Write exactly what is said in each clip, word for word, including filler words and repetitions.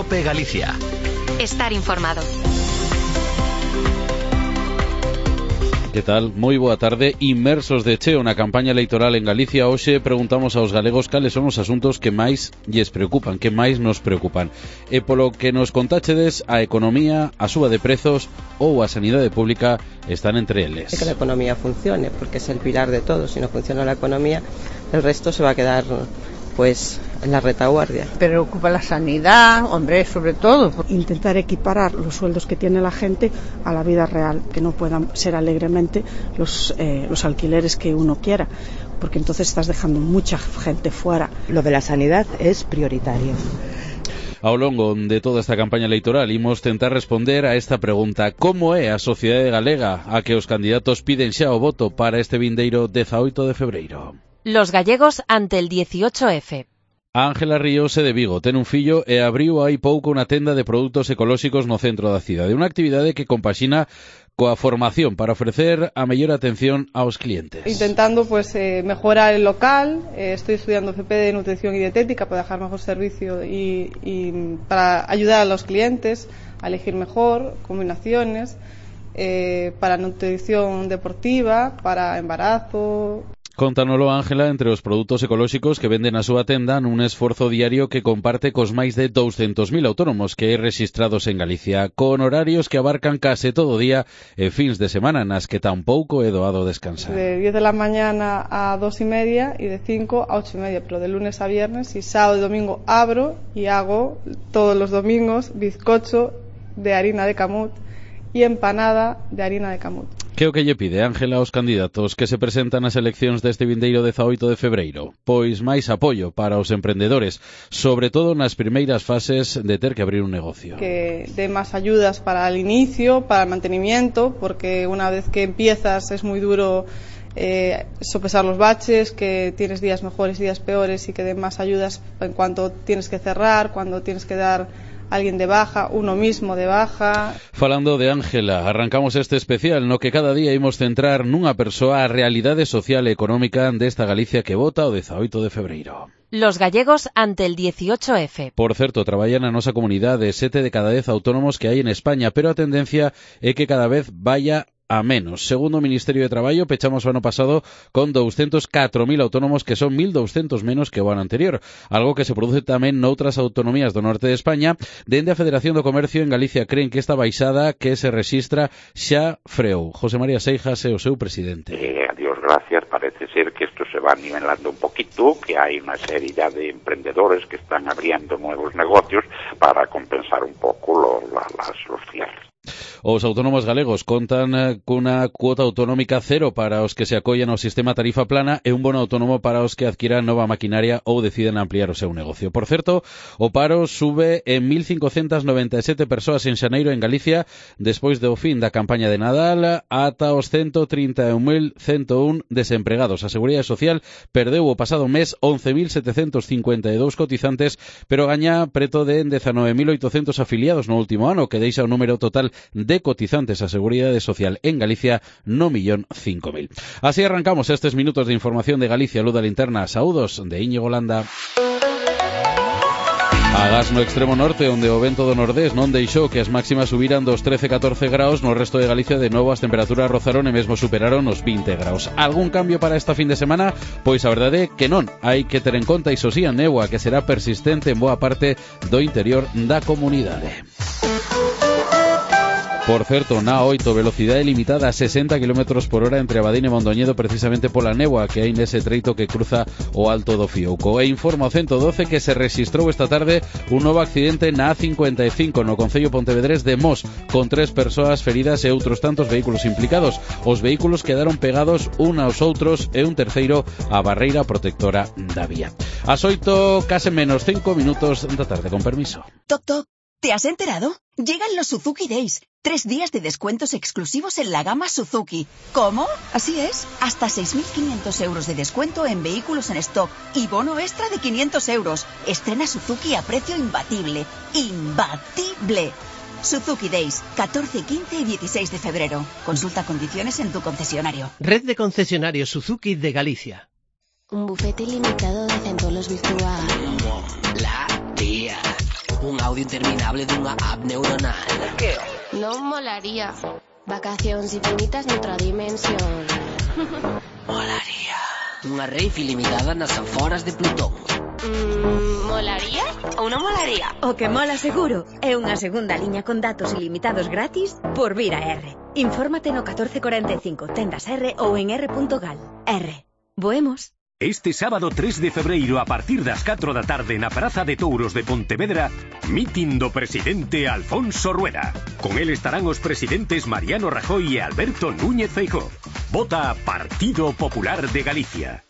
COPE Galicia. Estar informado. Que tal? Moi boa tarde. Inmersos de cheo na campaña electoral en Galicia, hoxe preguntamos aos galegos cales son os asuntos que máis lles preocupan, que máis nos preocupan. E polo que nos contáchedes, a economía, a suba de prezos ou a sanidade pública están entre eles. Que la economía funcione, porque es el pilar de todo. Si no funciona la economía, el resto se va a quedar pues en la retaguardia. Preocupa la sanidad, hombre, sobre todo. Intentar equiparar los sueldos que tiene la gente a la vida real, que no puedan ser alegremente los, eh, los alquileres que uno quiera, porque entonces estás dejando mucha gente fuera. Lo de la sanidad es prioritario. Ao longo de toda esta campaña electoral imos tentar responder a esta pregunta: como é a sociedade galega a que os candidatos piden xa o voto para este vindeiro dezaoito de febreiro? Los gallegos ante el dieciocho efe. Ángela Ríos é de Vigo, ten un fillo e abriu hai pouco unha tenda de produtos ecolóxicos no centro da cidade. Unha actividade que compaxina coa formación para ofrecer a mellor atención aos clientes. Intentando pues eh, mejorar el local, eh, estoy estudiando F P de nutrición y dietética para dejar mejor servicio y, y para ayudar a los clientes a elegir mejor combinaciones eh, para nutrición deportiva, para embarazo. Contanolo Ángela entre os produtos ecolóxicos que venden na súa tenda nun esforzo diario que comparte cos máis de douscentos mil autónomos que hai rexistrados en Galicia, con horarios que abarcan case todo o día e fins de semana nas que tampouco é doado descansar. De diez de la mañana a dos y media y de cinco a ocho y media, pero de lunes a viernes, y sábado y domingo abro y hago todos los domingos bizcocho de harina de camut y empanada de harina de camut. Que o que lle pide Ángela aos candidatos que se presentan nas eleccións deste vindeiro dezaoito de febreiro? Pois máis apoio para os emprendedores, sobre todo nas primeiras fases de ter que abrir un negocio. Que dé más ayudas para el inicio, para el mantenimiento, porque una vez que empiezas es muy duro eh, sopesar los baches, que tienes días mejores, días peores, y que dé más ayudas en cuanto tienes que cerrar, cuando tienes que dar alguien de baja, uno mismo de baja. Falando de Ángela, arrancamos este especial no que cada día imos centrar nunha persoa a realidade social e económica desta Galicia que vota o dezaoito de febreiro. Los gallegos ante el dieciocho efe. Por certo, traballan na nosa comunidade sete de cada dez autónomos que hai en España, pero a tendencia é que cada vez vaya a menos. Segundo o Ministerio de Traballo, pechamos o ano pasado con doscientos catro mil autónomos, que son mil doscientos menos que o ano anterior, algo que se produce tamén noutras autonomías do norte de España. Dende a Federación do Comercio en Galicia creen que esta baixada que se rexistra xa freou. José María Seijas é o seu presidente. Eh, a Dios gracias, parece ser que esto se va nivelando un poquito, que hay una serie ya de emprendedores que están abriendo nuevos negocios para compensar un poco lo, la, las, los cierres. Os autónomos galegos contan cunha cuota autonómica cero para os que se acollan ao sistema tarifa plana e un bono autónomo para os que adquiran nova maquinaria ou deciden ampliar o seu negocio. Por certo, o paro sube en mil cincocentas noventa e sete persoas en xaneiro en Galicia despois do fin da campaña de Nadal ata os ciento trinta e un mil ciento un desempregados. A Seguridade Social perdeu o pasado mes once mil setecentos cincuenta e dous cotizantes, pero gaña preto de dezanove mil oitocentos afiliados no último ano, que deixa o número total de cotizantes a Seguridade Social en Galicia no millón cinco mil. Así arrancamos estes minutos de información de Galicia, Luz da Linterna. Saúdos de Íñigo Landa. Agás no extremo norte, onde o vento do nordés non deixou que as máximas subiran dos trece a catorce graus. No resto de Galicia de novo as temperaturas rozaron e mesmo superaron os vinte graus. Algún cambio para esta fin de semana? Pois a verdade é que non. Hai que ter en conta, iso sí, a néboa que será persistente en boa parte do interior da comunidade. Por certo, na oito, velocidade limitada a sesenta kilómetros por hora entre Abadín e Mondoñedo, precisamente pola néboa que hai nese treito que cruza o Alto do Fiouco. E informa o ciento doce que se rexistrou esta tarde un novo accidente na A cincuenta e cinco no concello pontevedrés de Mos, con tres persoas feridas e outros tantos vehículos implicados. Os vehículos quedaron pegados un aos outros e un terceiro á barreira protectora da vía. As oito, case menos cinco minutos da tarde, con permiso. Toc, toc, ¿te has enterado? Llegan los Suzuki Days. Tres días de descuentos exclusivos en la gama Suzuki. ¿Cómo? Así es. Hasta seis mil quinientos euros de descuento en vehículos en stock y bono extra de quinientos euros. Estrena Suzuki a precio imbatible. ¡Imbatible! Suzuki Days, catorce, quince y dieciséis de febrero. Consulta condiciones en tu concesionario. Red de concesionarios Suzuki de Galicia. Un bufete ilimitado de centolos virtual. La tía. Un audio interminable dunha app neuronal. Que? Non molaría. Vacacións infinitas noutra dimensión. Molaría. Unha rave ilimitada nas aforas de Plutón. Mm, molaría ou non molaría? O que mola seguro é unha segunda liña con datos ilimitados gratis por vir a R. Infórmate no catorce cuarenta y cinco, tendas R ou en r punto gal. R. Voemos. Este sábado tres de febreiro a partir das catro da tarde na Praza de Touros de Pontevedra, mitin do presidente Alfonso Rueda. Con el estarán os presidentes Mariano Rajoy e Alberto Núñez Feijóo. Vota Partido Popular de Galicia.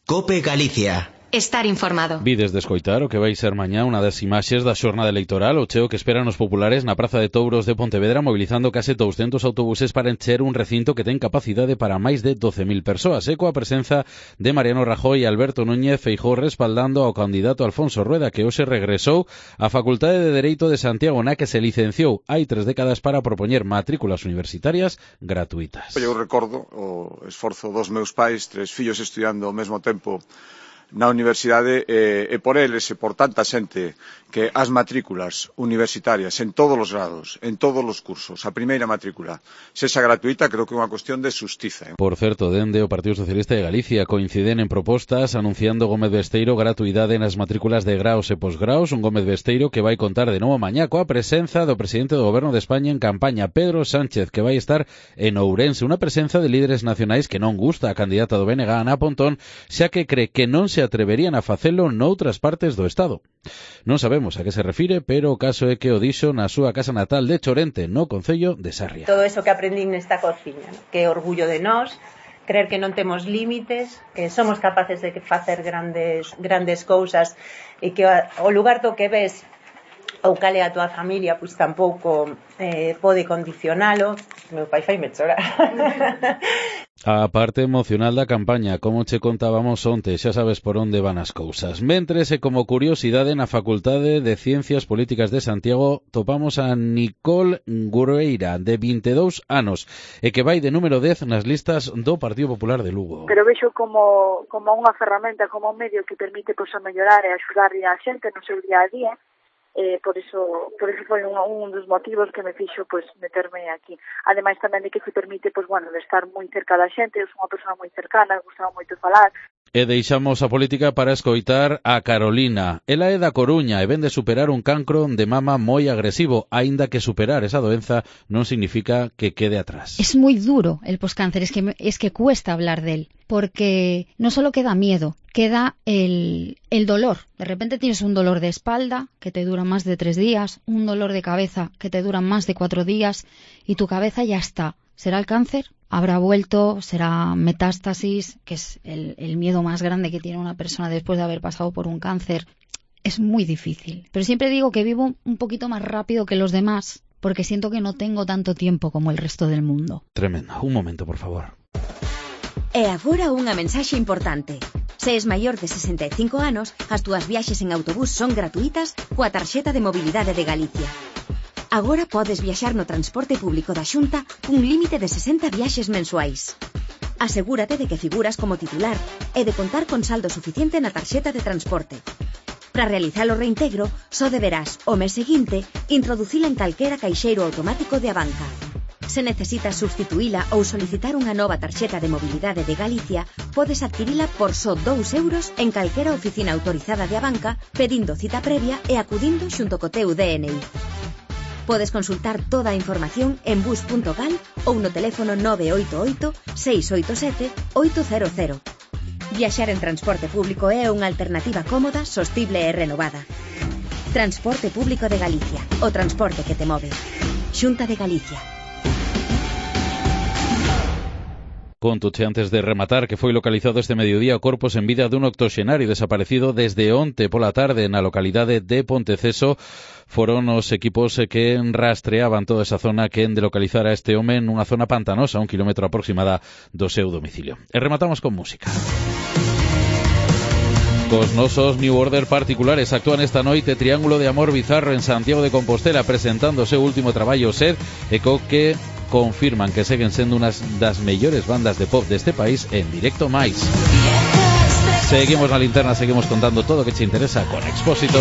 Cope Galicia. Estar informado. Vides de escoitar o que vai ser mañá unha das imaxes da xornada electoral, o cheo que esperan os populares na Praza de Touros de Pontevedra, mobilizando case doscientos autobuses para encher un recinto que ten capacidade para máis de doce mil persoas, e coa presenza de Mariano Rajoy e Alberto Núñez Feijóo respaldando ao candidato Alfonso Rueda, que hoxe regresou á Facultade de Dereito de Santiago, na que se licenciou hai tres décadas para propoñer matrículas universitarias gratuitas. Eu recordo o esforzo dos meus pais, tres fillos estudiando ao mesmo tempo na universidade, e, e por eles e por tanta xente que as matrículas universitarias en todos os grados, en todos os cursos, a primeira matrícula sexa gratuita, creo que é unha cuestión de xustiza. Por certo, dende o Partido Socialista de Galicia coinciden en propostas anunciando Gómez Besteiro gratuidade nas matrículas de graos e posgraos, un Gómez Besteiro que vai contar de novo mañá coa presenza do presidente do Goberno de España en campaña, Pedro Sánchez, que vai estar en Ourense, unha presenza de líderes nacionais que non gusta a candidata do B N G, Ana Pontón, xa que cree que non se atreverían a facelo noutras partes do Estado. Non sabemos a que se refire, pero o caso é que o dixo na súa casa natal de Chorente, no concello de Sarria. Todo eso que aprendín nesta cociña, ¿no? Que orgullo de nós, creer que non temos límites, que somos capaces de facer grandes grandes cousas e que o lugar do que ves ou cale a tua familia, pois tampouco eh, pode condicionalo. Meu pai faime chorar. A parte emocional da campaña, como che contábamos onte, xa sabes por onde van as cousas. Mentres, e como curiosidade, na Facultade de Ciencias Políticas de Santiago topamos a Nicole Grueira, de vinte e dous anos, e que vai de número dez nas listas do Partido Popular de Lugo. Pero vexo como, como unha ferramenta, como un medio que permite pois, a mellorar e axudar a xente no seu día a día. Eh, por eso por eso foi un, un dos motivos que me fixo pues meterme aquí. Ademais tamén de que se permite pues bueno, de estar moi cerca da xente, eu sou unha persona moi cercana, gustaba moito falar. E deixamos a política para escoitar a Carolina. Ela é da Coruña e ven de superar un cancro de mama moi agresivo, aínda que superar esa doenza non significa que quede atrás. Es muy duro el poscáncer, es que, es que cuesta hablar de él, porque no solo queda miedo, queda el, el dolor. De repente tienes un dolor de espalda que te dura más de tres días, un dolor de cabeza que te dura más de cuatro días y tu cabeza ya está. ¿Será el cáncer? ¿Habrá vuelto? ¿Será metástasis? Que es el, el miedo más grande que tiene una persona después de haber pasado por un cáncer. Es muy difícil. Pero siempre digo que vivo un poquito más rápido que los demás, porque siento que no tengo tanto tiempo como el resto del mundo. Tremendo. Un momento, por favor. E agora unha mensaxe importante. Se es maior de sesenta e cinco anos, as túas viaxes en autobús son gratuitas coa tarxeta de mobilidade de Galicia. Agora podes viaxar no transporte público da Xunta cun límite de sesenta viaxes mensuais. Asegúrate de que figuras como titular e de contar con saldo suficiente na tarxeta de transporte. Para realizar o reintegro, só deberás, o mes seguinte, introducila en calquera caixeiro automático de Abanca. Se necesitas substituíla ou solicitar unha nova tarxeta de mobilidade de Galicia, podes adquirila por só dous euros en calquera oficina autorizada de Abanca, pedindo cita previa e acudindo xunto co teu D N I. Podes consultar toda a información en bus punto gal ou no teléfono nove oito oito, seis oito sete, oito cero cero. Viaxar en transporte público é unha alternativa cómoda, sostible e renovada. Transporte Público de Galicia, o transporte que te move. Xunta de Galicia. Contoche antes de rematar que foi localizado este mediodía o corpo sen vida dun octoxenario desaparecido desde onte pola tarde na localidade de Ponteceso. Foron os equipos que rastreaban toda esa zona que en de localizar a este home nunha zona pantanosa, un kilómetro aproximada do seu domicilio. E rematamos con música. Cos nosos New Order particulares actúan esta noite Triángulo de Amor Bizarro en Santiago de Compostela presentando o seu último traballo Sed e co que confirman que seguen sendo unhas das mellores bandas de pop deste país en directo máis. Seguimos na linterna, seguimos contando todo o que che interesa con Expósito.